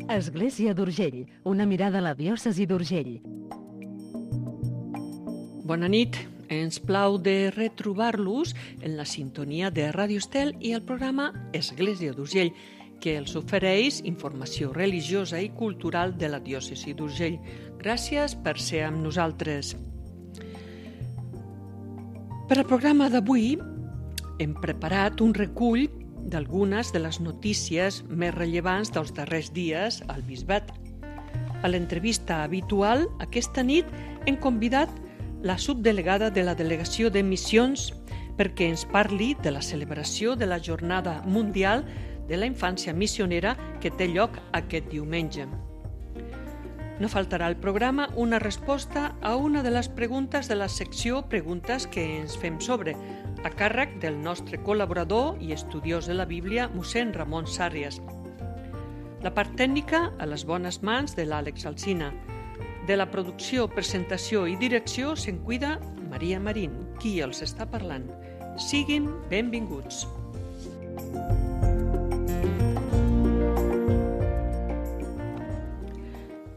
Església d'Urgell, una mirada a la diòcesi d'Urgell. Bona nit. Ens plau de retrobar-los en la sintonia de Ràdio Estel i el programa Església d'Urgell, que els ofereix informació religiosa i cultural de la diòcesi d'Urgell. Gràcies per ser amb nosaltres. Per al programa d'avui hem preparat un recull d'algunes de les notícies més rellevants dels darrers dies al Bisbat. A l'entrevista habitual, aquesta nit hem convidat la subdelegada de la Delegació de Missions perquè ens parli de la celebració de la Jornada Mundial de la Infància Missionera que té lloc aquest diumenge. No faltarà al programa una resposta a una de les preguntes de la secció Preguntes que ens fem sobre, a càrrec del nostre col·laborador i estudiós de la Bíblia, mossèn Ramon Sàrrias. La part tècnica a les bones mans de l'Àlex Alsina. De la producció, presentació i direcció se'n cuida Maria Marín, qui els està parlant. Siguin benvinguts.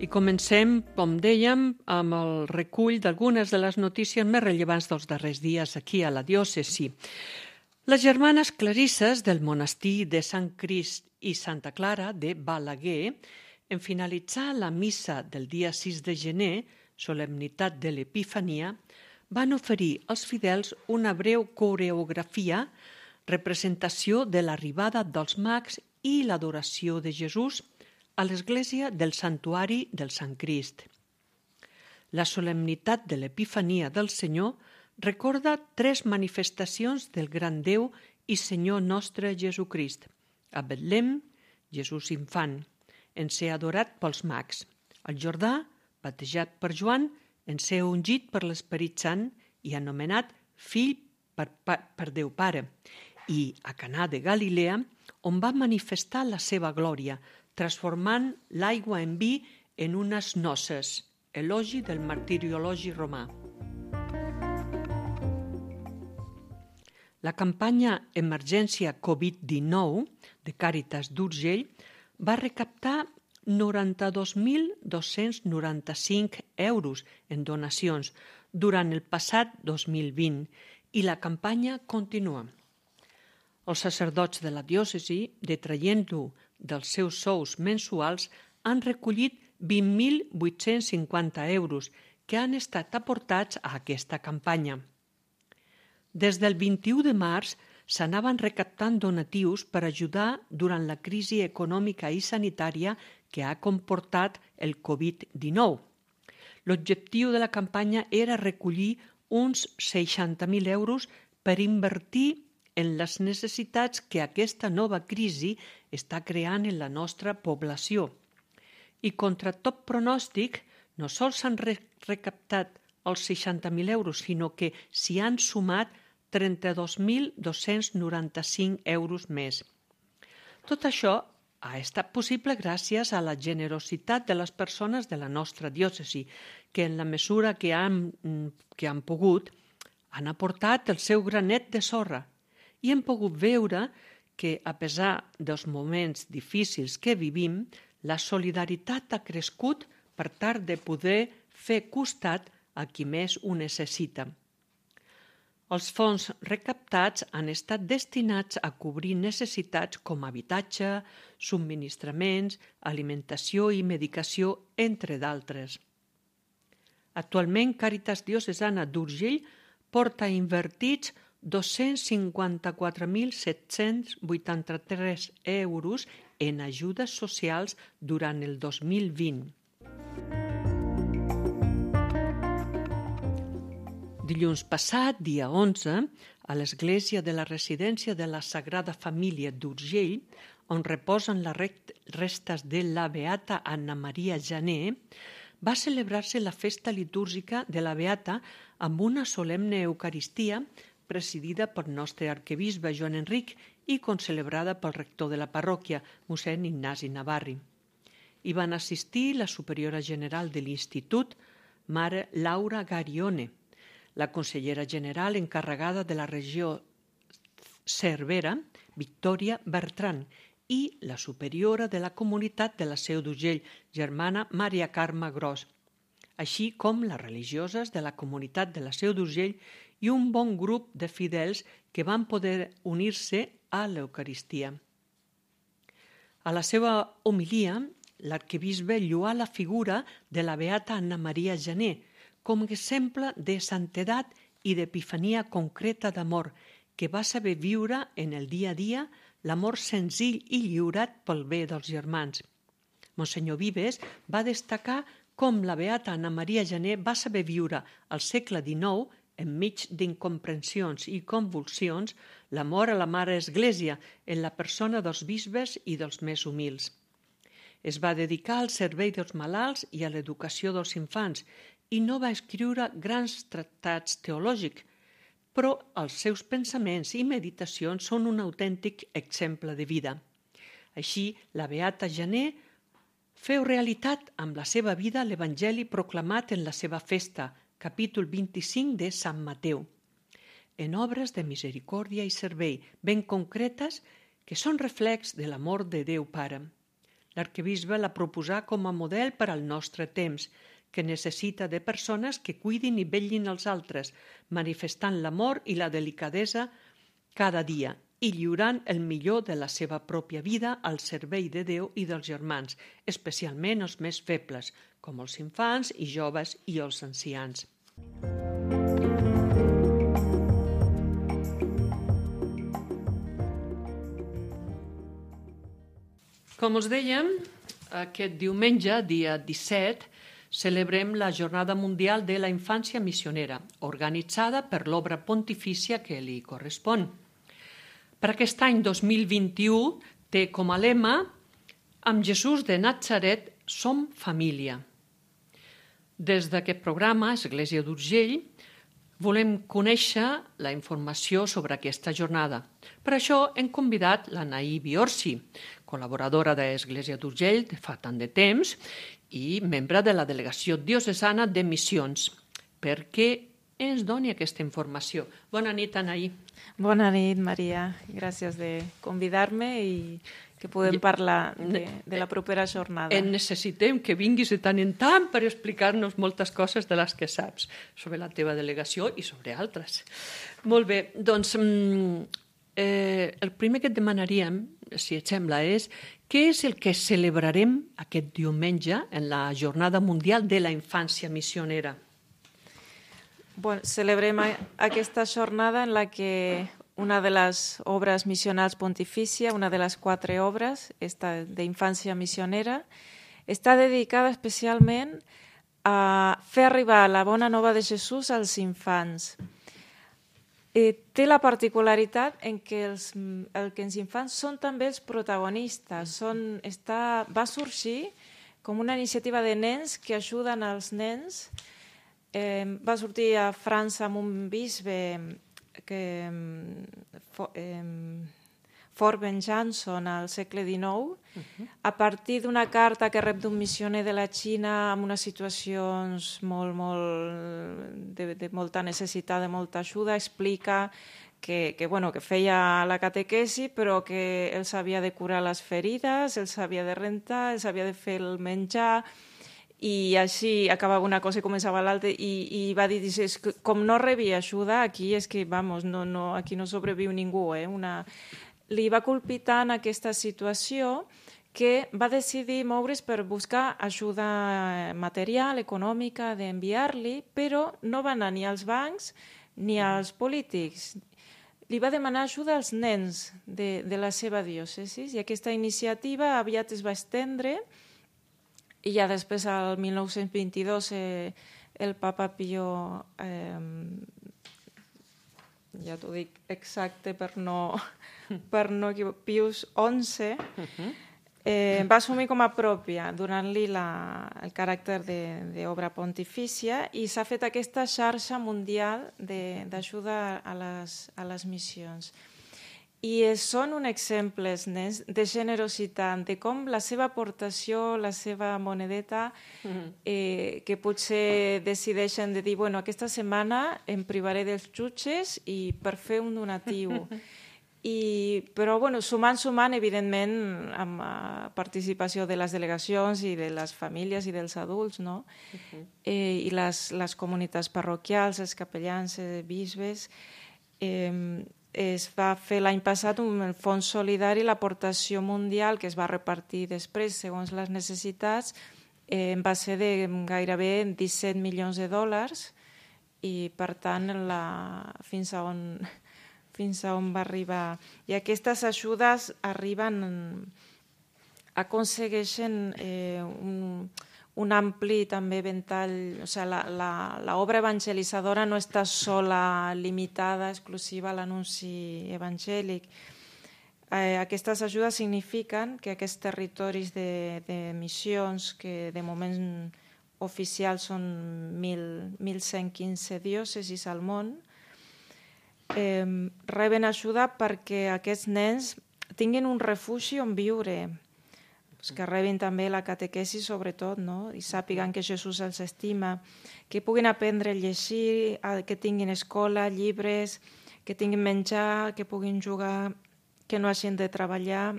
I comencem, com dèiem, amb el recull d'algunes de les notícies més rellevants dels darrers dies aquí a la diòcesi. Les germanes clarisses del monestir de Sant Crist i Santa Clara de Balaguer, en finalitzar la missa del dia 6 de gener, solemnitat de l'Epifania, van oferir als fidels una breu coreografia, representació de l'arribada dels mags i l'adoració de Jesús a l'església del Santuari del Sant Crist. La solemnitat de l'Epifania del Senyor recorda 3 manifestacions del gran Déu i Senyor nostre Jesucrist. A Betlem, Jesús infant, en ser adorat pels mags. Al Jordà, batejat per Joan, en ser ungit per l'Esperit Sant i anomenat fill per Déu Pare. I a Canà de Galilea, on va manifestar la seva glòria, transformant l'aigua en vi en unes noces, elogi del martiriologi romà. La campanya Emergència Covid-19 de Càritas d'Urgell va recaptar 92.295 euros en donacions durant el passat 2020 i la campanya continua. Els sacerdots de la diòcesi, detraient-lo dels seus sous mensuals, han recollit 20.850 euros que han estat aportats a aquesta campanya. Des del 21 de març s'anaven recaptant donatius per ajudar durant la crisi econòmica i sanitària que ha comportat el Covid-19. L'objectiu de la campanya era recollir uns 60.000 euros per invertir en les necessitats que aquesta nova crisi està creant en la nostra població. I contra tot pronòstic, no sols s'han recaptat els 60.000 euros, sinó que s'hi han sumat 32.295 euros més. Tot això ha estat possible gràcies a la generositat de les persones de la nostra diòcesi, que en la mesura que han pogut han aportat el seu granet de sorra i hem pogut veure que, a pesar dels moments difícils que vivim, la solidaritat ha crescut per tal de poder fer costat a qui més ho necessita. Els fons recaptats han estat destinats a cobrir necessitats com habitatge, subministraments, alimentació i medicació, entre d'altres. Actualment, Càritas Diocesana d'Urgell porta invertits 254.783 euros en ajudes socials durant el 2020. Dilluns passat, dia 11, a l'església de la residència de la Sagrada Família d'Urgell, on reposen les restes de la beata Anna Maria Jané, va celebrar-se la festa litúrgica de la beata amb una solemne eucaristia presidida pel nostre arquebisbe Joan Enric i concelebrada pel rector de la parròquia, mossèn Ignasi Navarri. Hi van assistir la superiora general de l'Institut, mare Laura Garione, la consellera general encarregada de la regió Cervera, Victòria Bertran, i la superiora de la comunitat de la Seu d'Urgell, germana Maria Carme Gros, així com les religioses de la comunitat de la Seu d'Urgell i un bon grup de fidels que van poder unir-se a l'Eucaristia. A la seva homilia, l'arquebisbe lloà la figura de la beata Anna Maria Janer com a exemple de santedat i d'epifania concreta d'amor, que va saber viure en el dia a dia l'amor senzill i lliurat pel bé dels germans. Monsenyor Vives va destacar com la beata Anna Maria Janer va saber viure al segle XIX, enmig d'incomprensions i convulsions, l'amor a la Mare Església en la persona dels bisbes i dels més humils. Es va dedicar al servei dels malalts i a l'educació dels infants i no va escriure grans tractats teològics, però els seus pensaments i meditacions són un autèntic exemple de vida. Així, la beata Janer feu realitat amb la seva vida l'Evangeli proclamat en la seva festa, capítol 25 de Sant Mateu, en obres de misericòrdia i servei ben concretes que són reflex de l'amor de Déu Pare. L'arquebisbe la proposà com a model per al nostre temps, que necessita de persones que cuidin i vetllin als altres, manifestant l'amor i la delicadesa cada dia i lliurant el millor de la seva pròpia vida al servei de Déu i dels germans, especialment els més febles, com els infants i joves i els ancians. Com us dèiem, aquest diumenge, dia 17, celebrem la Jornada Mundial de la Infància Missionera, organitzada per l'obra pontifícia que li correspon. Per aquest any 2021 té com a lema «Amb Jesús de Natzaret som família». Des d'aquest programa, Església d'Urgell, volem conèixer la informació sobre aquesta jornada. Per això hem convidat l'Anaí Biorsi, col·laboradora d'Església d'Urgell de fa tant de temps i membre de la Delegació Diocesana de Missions, perquè ens doni aquesta informació. Bona nit, Anaí. Bona nit, Maria. Gràcies de convidar-me i que podem parlar de la propera jornada. Necessitem que vinguis de tant en tant per explicar-nos moltes coses de les que saps sobre la teva delegació i sobre altres. Molt bé, doncs el primer que et demanaríem, si et sembla, és què és el que celebrarem aquest diumenge en la Jornada Mundial de la Infància Missionera? Bueno, celebrem aquesta jornada en la que una de les obres missionals pontifícia, una de les 4 obres, esta d'infància missionera, està dedicada especialment a fer arribar la bona nova de Jesús als infants. Té la particularitat en que els infants són també els protagonistes. Va sorgir com una iniciativa de nens que ajuden als nens. Va sortir a França amb un bisbe Fort Ben Janson al segle XIX, a partir d'una carta que rep d'un missioner de la Xina amb unes situacions de molta necessitat, de molta ajuda, explica que feia la catequesi, però que els havia de curar les ferides, els havia de rentar, els havia de fer el menjar, i així acabava una cosa i començava l'altra, i va dir, com no rebia ajuda, aquí és que, aquí no sobreviu ningú. Li va colpir tant aquesta situació que va decidir moure's per buscar ajuda material, econòmica, d'enviar-li, però no va anar ni als bancs ni als polítics. Li va demanar ajuda als nens de la seva diòcesi, i aquesta iniciativa aviat es va estendre. I ja després, al 1922, el papa Pío, ja t'ho dic exacte per no Pius XI, va assumir com a pròpia, donant-li el caràcter d'obra pontifícia, i s'ha fet aquesta xarxa mundial d'ajuda a les missions. I són un exemple, els nens, de generositat, de com la seva aportació, la seva monedeta, que potser decideixen de dir, aquesta setmana em privaré dels jutges i per fer un donatiu. Però sumant, evidentment, amb participació de les delegacions i de les famílies i dels adults, no? I les comunitats parroquials, els capellans, bisbes. Es va fer l'any passat un fons solidari, l'aportació mundial, que es va repartir després segons les necessitats, va ser de gairebé 17 milions de dòlars i, per tant, fins a on va arribar. I aquestes ajudes aconsegueixen un ampli també ventall, o sigui, l'obra evangelitzadora no està sola limitada, exclusiva a l'anunci evangèlic. Aquestes ajudes signifiquen que aquests territoris de missions, que de moment oficials són 1.115 diòcesis al món, reben ajuda perquè aquests nens tinguin un refugi on viure, que rebin també la catequesi sobretot, no? I sàpiguen que Jesús els estima, que puguin aprendre a llegir, que tinguin escola, llibres, que tinguin menjar, que puguin jugar, que no hagin de treballar.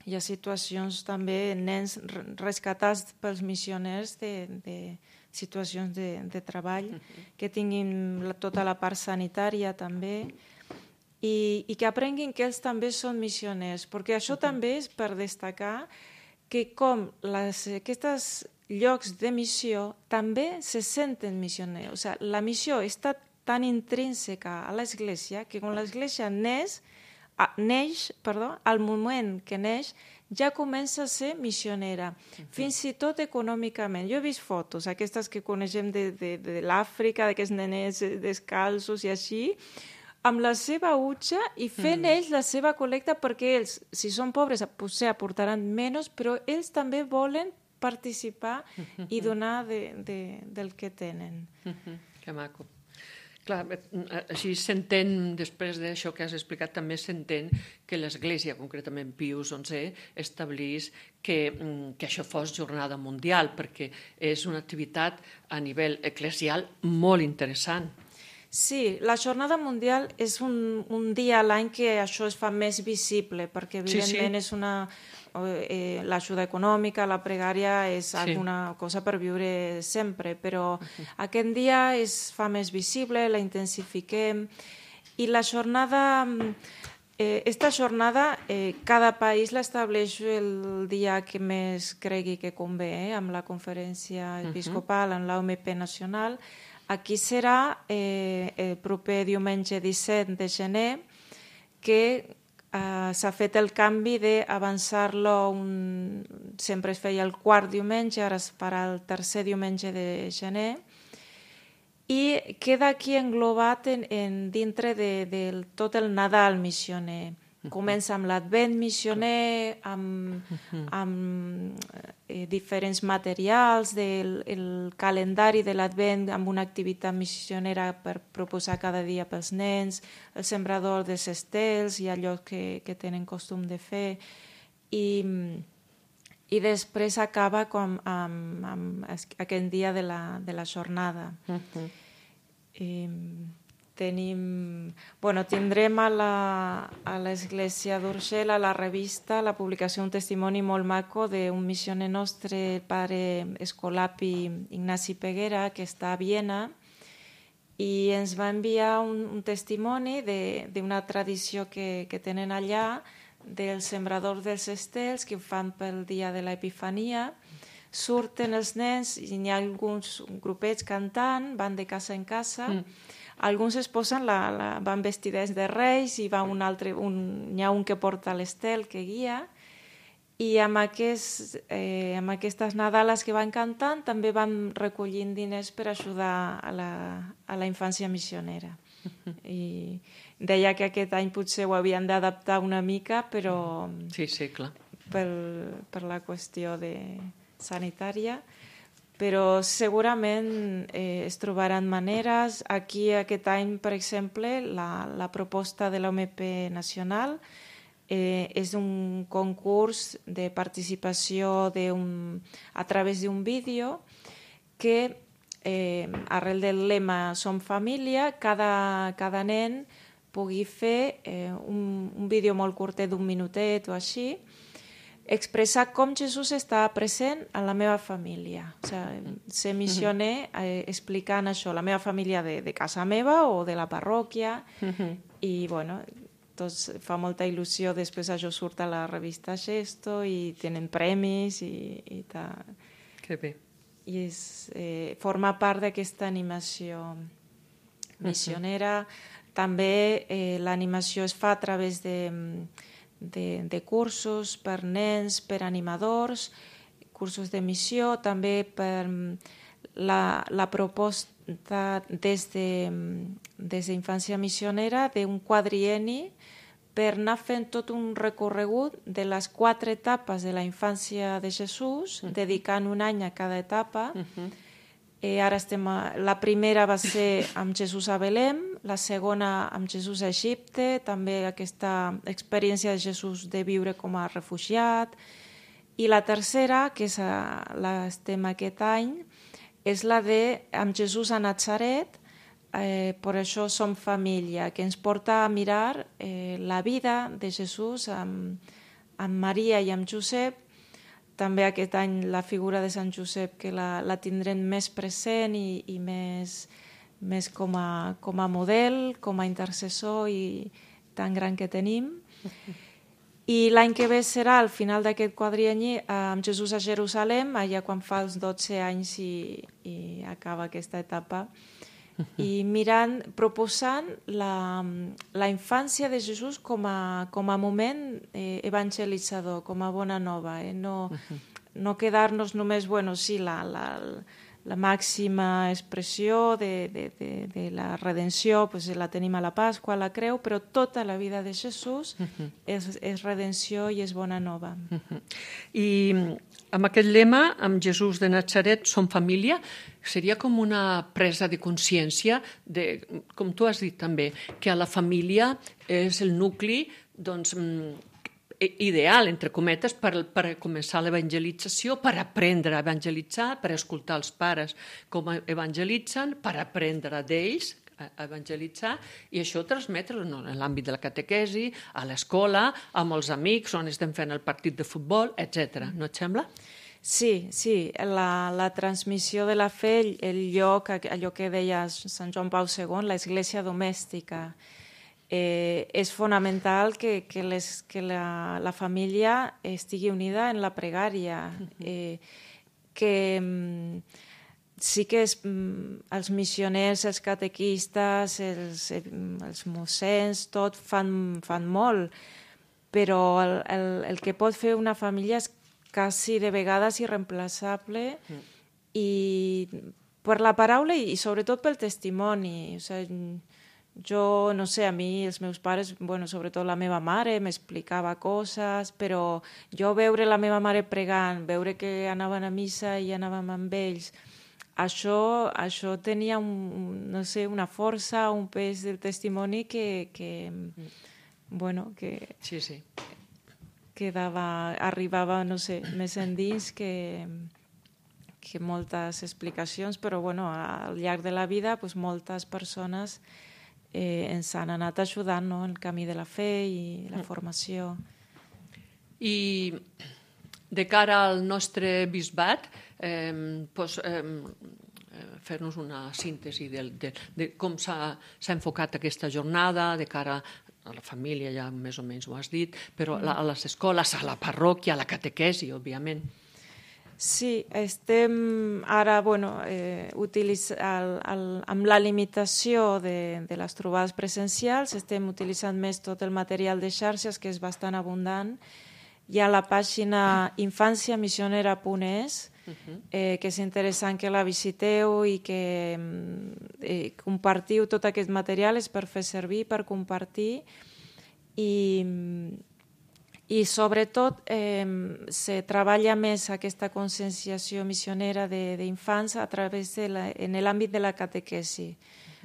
Hi ha situacions també, nens rescatats pels missioners de situacions de treball, que tinguin tota la part sanitària també, i que aprenguin que ells també són missioners, perquè això també és per destacar que com aquests llocs de missió també se senten missioners. O sigui, la missió està tan intrínseca a l'Església que quan l'Església neix, al moment que neix, ja comença a ser missionera, fins i tot econòmicament. Jo he vist fotos, aquestes que coneixem de l'Àfrica, d'aquests neners descalços i així, amb la seva utxa i fent ells la seva col·lecta, perquè ells, si són pobres, potser aportaran menys, però ells també volen participar i donar del que tenen. Que maco. Clar, així s'entén, després d'això que has explicat, també s'entén que l'Església, concretament Pius XI, establís que això fos jornada mundial, perquè és una activitat a nivell eclesial molt interessant. Sí, la Jornada Mundial és un dia a l'any que això es fa més visible, perquè evidentment és l'ajuda econòmica, la pregària és alguna cosa per viure sempre, però aquest dia es fa més visible, la intensifiquem, i la jornada, esta jornada, cada país l'estableix el dia que més cregui que convé, amb la conferència episcopal, en l'OMP nacional. Aquí serà el proper diumenge 17 de gener, que s'ha fet el canvi d'avançar-lo, sempre es feia el quart diumenge, ara es farà el tercer diumenge de gener, i queda aquí englobat dintre de tot el Nadal missioner. Comença amb l'Advent missioner, amb diferents materials, el calendari de l'Advent amb una activitat missionera per proposar cada dia pels nens, el sembrador dels estels i allò que tenen costum de fer, i després acaba amb aquest dia de la jornada. Tindrem a l'Església d'Urgell, a la revista, la publicació d'un testimoni molt maco d'un missioner nostre, el pare Escolapi Ignasi Peguera, que està a Viena, i ens va enviar un testimoni d'una tradició que tenen allà, del sembrador dels estels, que ho fan pel dia de l'Epifania. Surten els nens i n'hi ha alguns grupets cantant, van de casa en casa. Alguns es posen, van vestidets de reis, i va n'hi ha un que porta l'estel, que guia, i amb aquestes Nadales que van cantant també van recollint diners per ajudar a la infància missionera. I deia que aquest any potser ho havien d'adaptar una mica, però clar. per la qüestió sanitària, però segurament es trobaran maneres. Aquí aquest any, per exemple, la proposta de l'OMP nacional és un concurs de participació a través d'un vídeo que, arrel del lema Som Família, cada nen pugui fer un vídeo molt curtet d'un minutet o així, expressar com Jesús està present en la meva família. O sigui, ser missioner explicant això, la meva família de casa meva o de la parròquia, i bueno, doncs fa molta il·lusió, després això surt a la revista Gesto i tenen premis i tal. Que bé. I forma part d'aquesta animació missionera. També l'animació es fa a través de cursos per nens, per animadors, cursos de missió, també per la proposta des d'Infància Missionera d'un quadrienni per anar fent tot un recorregut de les 4 etapes de la infància de Jesús, dedicant un any a cada etapa. Ara la primera va ser amb Jesús a Belém, la segona amb Jesús a Egipte, també aquesta experiència de Jesús de viure com a refugiat, i la tercera, que l'estem aquest any, és la de amb Jesús a Natzaret, per això som família, que ens porta a mirar la vida de Jesús amb Maria i amb Josep. També aquest any la figura de Sant Josep, que la tindrem més present i més com a model, com a intercessor i tan gran que tenim. I l'any que ve serà, al final d'aquest quadrienni, amb Jesús a Jerusalem, allà quan fa els 12 anys i acaba aquesta etapa, i proposant la infància de Jesús com a moment evangelitzador, com a bona nova. No quedar-nos només, sí, la màxima expressió de la redenció, la tenim a la Pasqua, a la Creu, però tota la vida de Jesús és redenció i és bona nova. I amb aquest lema, amb Jesús de Natzaret som família, seria com una presa de consciència, com tu has dit també, que a la família és el nucli ideal, entre cometes, per començar l'evangelització, per aprendre a evangelitzar, per escoltar els pares com evangelitzen, per aprendre d'ells a evangelitzar, i això transmetre en l'àmbit de la catequesi, a l'escola, amb els amics, on estem fent el partit de futbol, etc. No et sembla? Sí, la transmissió de la fe, el lloc, allò que deia Sant Joan Pau II, l'església domèstica, és fonamental que la família estigui unida en la pregària, que sí que els missioners, els catequistes, els mossens, tot fan molt, però el que pot fer una família és quasi de vegades irreemplaçable, i per la paraula i sobretot pel testimoni. O sigui, jo, no sé, a mi els meus pares, sobretot la meva mare, m'explicava coses, però jo veure la meva mare pregant, veure que anaven a missa i anàvem amb ells, això tenia una força, un pes del testimoni que sí. arribava, més endins que moltes explicacions, però al llarg de la vida moltes persones ens han anat ajudant en el camí de la fe i la formació. I de cara al nostre bisbat, fer-nos una síntesi de com s'ha enfocat aquesta jornada de cara a la família, ja més o menys ho has dit, però a les escoles, a la parròquia, a la catequesi, òbviament. Sí, estem ara amb la limitació de les trobades presencials, estem utilitzant més tot el material de xarxes, que és bastant abundant. Hi ha la pàgina infanciamissionera.es, que és interessant que la visiteu i que compartiu tot aquest material, és per fer servir, per compartir, i sobretot se treballa més aquesta conscienciació missionera d'infants a través en l'àmbit de la catequesi.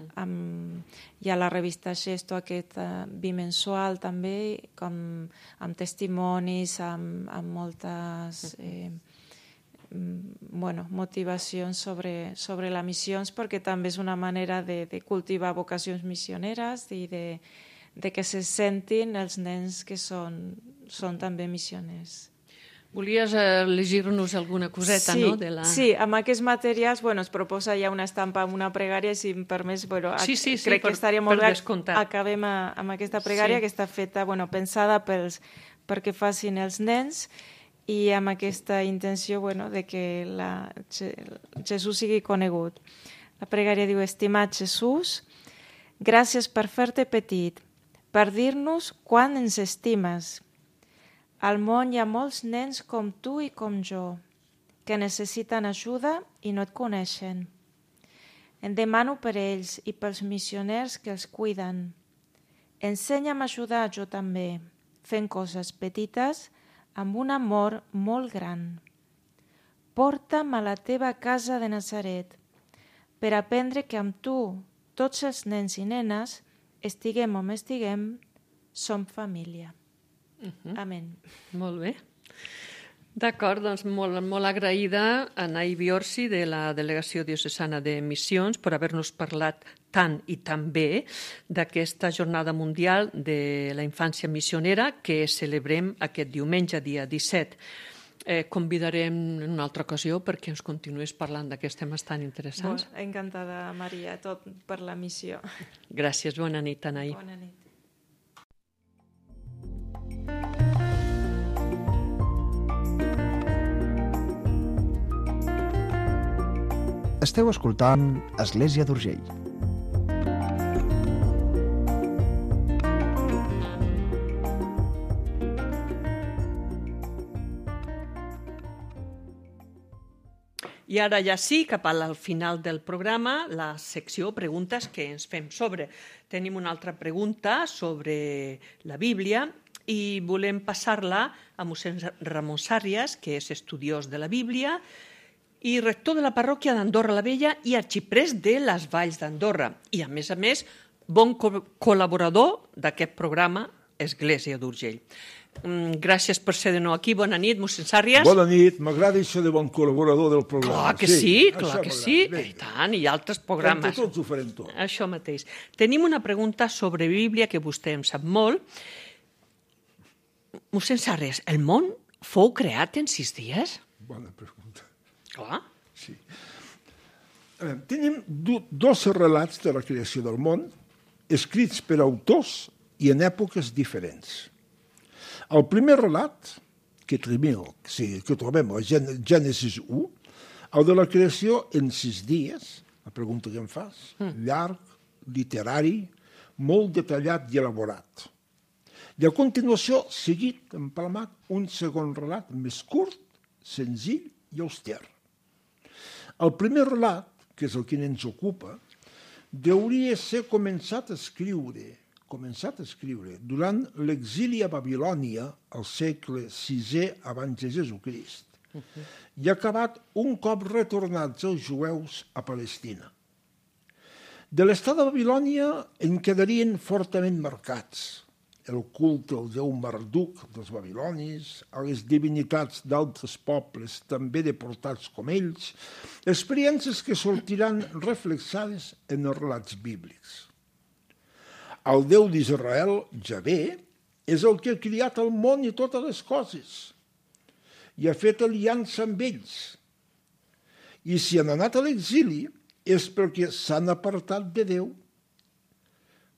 Hi ha la revista Gesto, aquest bimensual també, amb testimonis, amb moltes motivacions sobre les missions, perquè també és una manera de cultivar vocacions missioneres i que se sentin els nens que són també missioners. Volies llegir-nos alguna coseta, sí, no? Sí, amb aquests materials es proposa ja una estampa amb una pregària, si em permets, crec que estaria molt bé. Acabem amb aquesta pregària que està feta, pensada perquè facin els nens i amb aquesta intenció de que Jesús sigui conegut. La pregària diu: Estimat Jesús, gràcies per fer-te petit, per dir-nos quan ens estimes. Al món hi ha molts nens com tu i com jo, que necessiten ajuda i no et coneixen. Em demano per ells i pels missioners que els cuiden. Ensenya'm a ajudar jo també, fent coses petites amb un amor molt gran. Porta'm a la teva casa de Nazaret per aprendre que amb tu, tots els nens i nenes, estiguem on estiguem, som família. Amén. Molt bé. D'acord, doncs molt agraïda a Nay Biorsi de la Delegació Diocesana de Missions per haver-nos parlat tant i tan bé d'aquesta Jornada Mundial de la Infància Missionera que celebrem aquest diumenge, dia 17. Convidarem en una altra ocasió perquè ens continuïs parlant d'aquests temes tan interessants. Encantada, Maria, tot per la missió. Gràcies, bona nit, Nay. Bona nit. Esteu escoltant Església d'Urgell. I ara ja sí, cap al final del programa, la secció preguntes que ens fem sobre. Tenim una altra pregunta sobre la Bíblia i volem passar-la a mossèn Ramon Sàrries, que és estudiós de la Bíblia i rector de la parròquia d'Andorra la Vella i arxiprés de les Valls d'Andorra. I, a més, bon col·laborador d'aquest programa Església d'Urgell. Gràcies per ser de nou aquí. Bona nit, mossèn Sàrries. Bona nit. M'agrada això de bon col·laborador del programa. Clar que sí. I tant, i altres programes. Entre tots ho farem tot. Això mateix. Tenim una pregunta sobre Bíblia que vostè en sap molt. Mossèn Sàrries, el món fou creat en 6 dies? Bona pregunta. Clar. Sí. Tenim dos relats de la creació del món, escrits per autors i en èpoques diferents. El primer relat, que trobem a Gènesis 1, el de la creació en 6 dies, la pregunta que em fas, llarg, literari, molt detallat i elaborat. I a continuació, seguit, empalmat, un segon relat més curt, senzill i auster. El primer relat, que és el que ens ocupa, hauria ser començat a escriure durant l'exili a Babilònia al segle VI abans de Jesucrist i acabat un cop retornats els jueus a Palestina. De l'estat de Babilònia en quedarien fortament marcats el culte al déu Marduk dels babilonis, a les divinitats d'altres pobles també deportats com ells, experiències que sortiran reflexades en els relats bíblics. El Déu d'Israel, Javé, és el que ha criat el món i totes les coses i ha fet aliança amb ells. I si han anat a l'exili és perquè s'han apartat de Déu,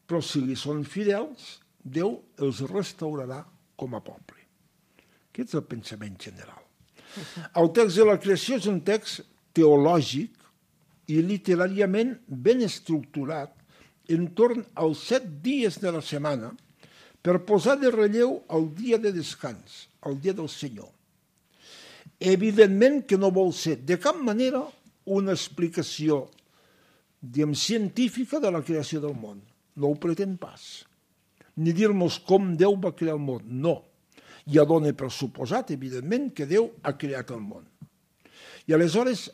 però si li són fidels, Déu els restaurarà com a poble. Aquest és el pensament general. El text de la creació és un text teològic i literàriament ben estructurat entorn als 7 dies de la setmana per posar de relleu el dia de descans, el dia del Senyor. Evidentment que no vol ser de cap manera una explicació científica de la creació del món. No ho pretén pas. Ni dir-nos com Déu va crear el món. No. Ja dona per suposat, evidentment, que Déu ha creat el món. I aleshores,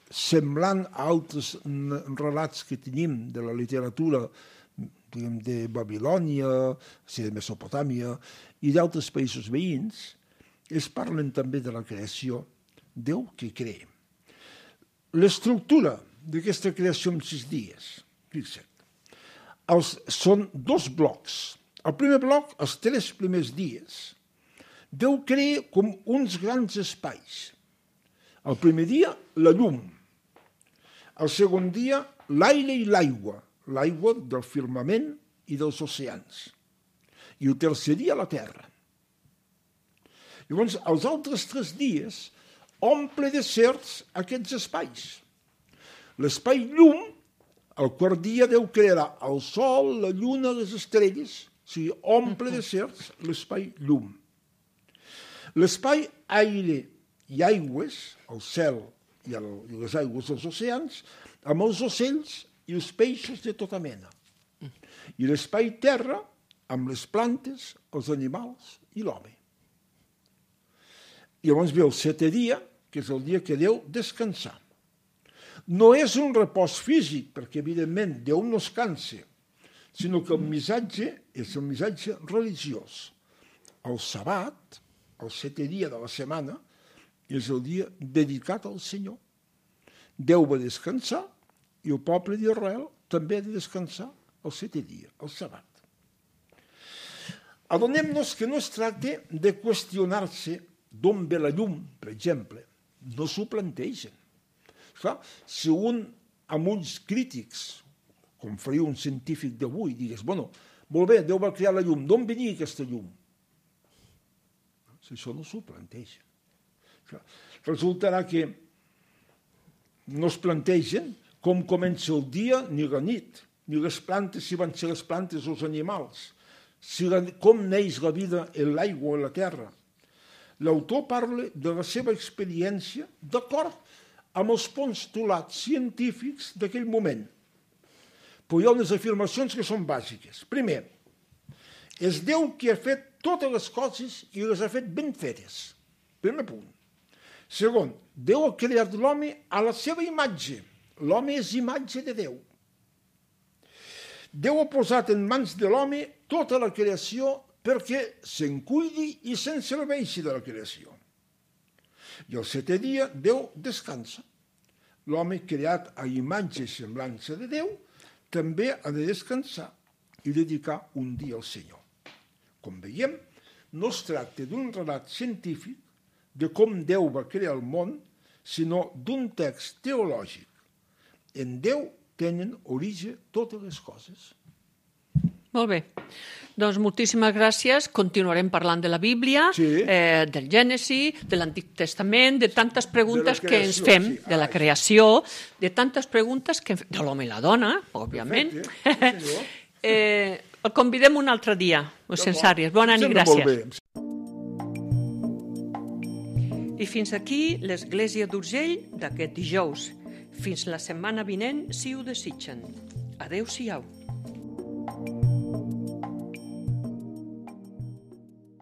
semblant a altres relats que tenim de la literatura de Babilònia, de Mesopotàmia i d'altres països veïns, es parlen també de la creació, Déu que crea. L'estructura d'aquesta creació en 6 dies, fixa't. són 2 blocs. El primer bloc, els 3 primers dies, Déu crea com uns grans espais. El primer dia, la llum. El segon dia, l'aire i l'aigua del firmament i dels oceans. I el tercer dia, la terra. Llavors, els altres 3 dies omple de certs aquests espais. L'espai llum, el quart dia Déu crearà el sol, la lluna, les estrelles, o sigui, omple de certs l'espai llum. L'espai aire i aigües, el cel i les aigües dels oceans, amb els ocells i els peixos de tota mena. I l'espai terra, amb les plantes, els animals i l'home. I llavors ve el 7è dia, que és el dia que Déu descansà. No és un repòs físic, perquè evidentment Déu no es cansa, sinó que el missatge és el missatge religiós. El sabat, el 7è dia de la setmana, és el dia dedicat al Senyor. Déu va descansar i el poble d'Israel també ha de descansar el 7è dia, el sabat. Adonem-nos que no es tracta de qüestionar-se d'on ve la llum, per exemple. No s'ho plantegen. Clar, si un, amb uns crítics, com faria un científic d'avui, digués, bueno, molt bé, Déu va crear la llum, d'on venia aquesta llum? Si això no s'ho planteja. Clar, resultarà que no es plantegen com comença el dia ni la nit, ni les plantes, si van ser les plantes o els animals, com neix la vida en l'aigua o en la terra. L'autor parla de la seva experiència d'acord amb els postulats científics d'aquell moment. Però hi ha unes afirmacions que són bàsiques. Primer, és Déu qui ha fet totes les coses i les ha fet ben fetes. Primer punt. Segon, Déu ha creat l'home a la seva imatge. L'home és imatge de Déu. Déu ha posat en mans de l'home tota la creació perquè se'n cuidi i se'n serveixi de la creació. I el 7è dia Déu descansa. L'home creat a imatge i semblança de Déu també ha de descansar i dedicar un dia al Senyor. Com veiem, no es tracta d'un relat científic de com Déu va crear el món, sinó d'un text teològic. En Déu tenen origen totes les coses. Molt bé. Doncs moltíssimes gràcies. Continuarem parlant de la Bíblia, del Gènesi, de l'Antic Testament, de tantes preguntes que ens fem, de la creació, de tantes preguntes que de l'home i la dona, òbviament. El convidem un altre dia, Mossèn Sàries. Bona nit, gràcies. I fins aquí l'Església d'Urgell d'aquest dijous. Fins la setmana vinent, si ho desitgen. Adéu-siau.